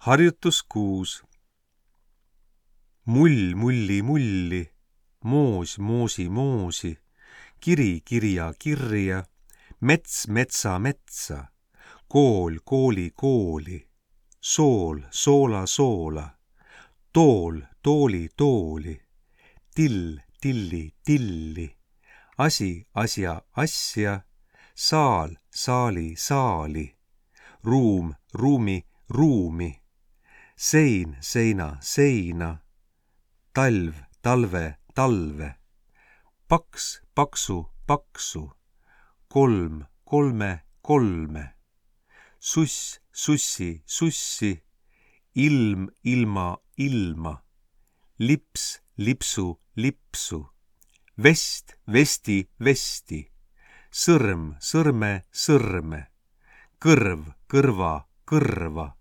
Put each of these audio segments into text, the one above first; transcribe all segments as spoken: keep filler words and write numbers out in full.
Harjutus kuus. Mull mulli mulli, moos moosi moosi, kiri kirja kirja, mets metsa metsa, kool kooli kooli, sool soola soola, tool tooli tooli, till tilli tilli, asi asja asja, saal saali saali, ruum ruumi ruumi, sein seina seina, talv talve talve, paks paksu paksu, kolm kolme kolme, suss sussi sussi, ilm ilma ilma, lips lipsu lipsu, vest vesti vesti, sõrm sõrme sõrme, kõrv kõrva kõrva,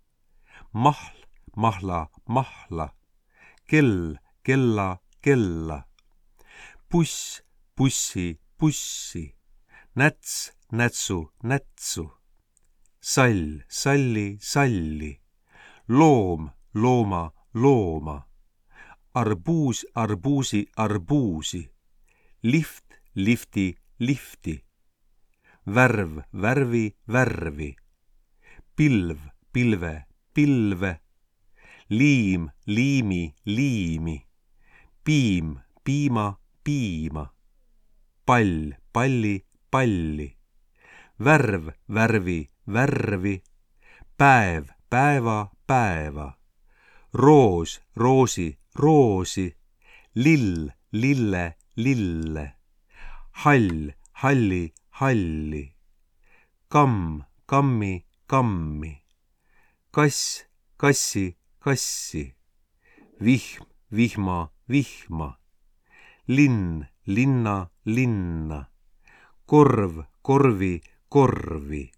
mahl mahla mahla, kell kella kella, puss pussi pussi, näts nätsu nätsu, sall salli salli, loom looma looma, arbuus arbuusi arbuusi, lift lifti lifti, värv värvi värvi, pilv pilve pilve, liim liimi liimi, piim piima piima, pall palli palli, värv värvi värvi, päev päeva päeva, roos roosi roosi, lill lille lille, hall halli halli, kamm kammi kammi, kass kassi kassi, vihm vihma vihma, linn linna linna, korv korvi korvi.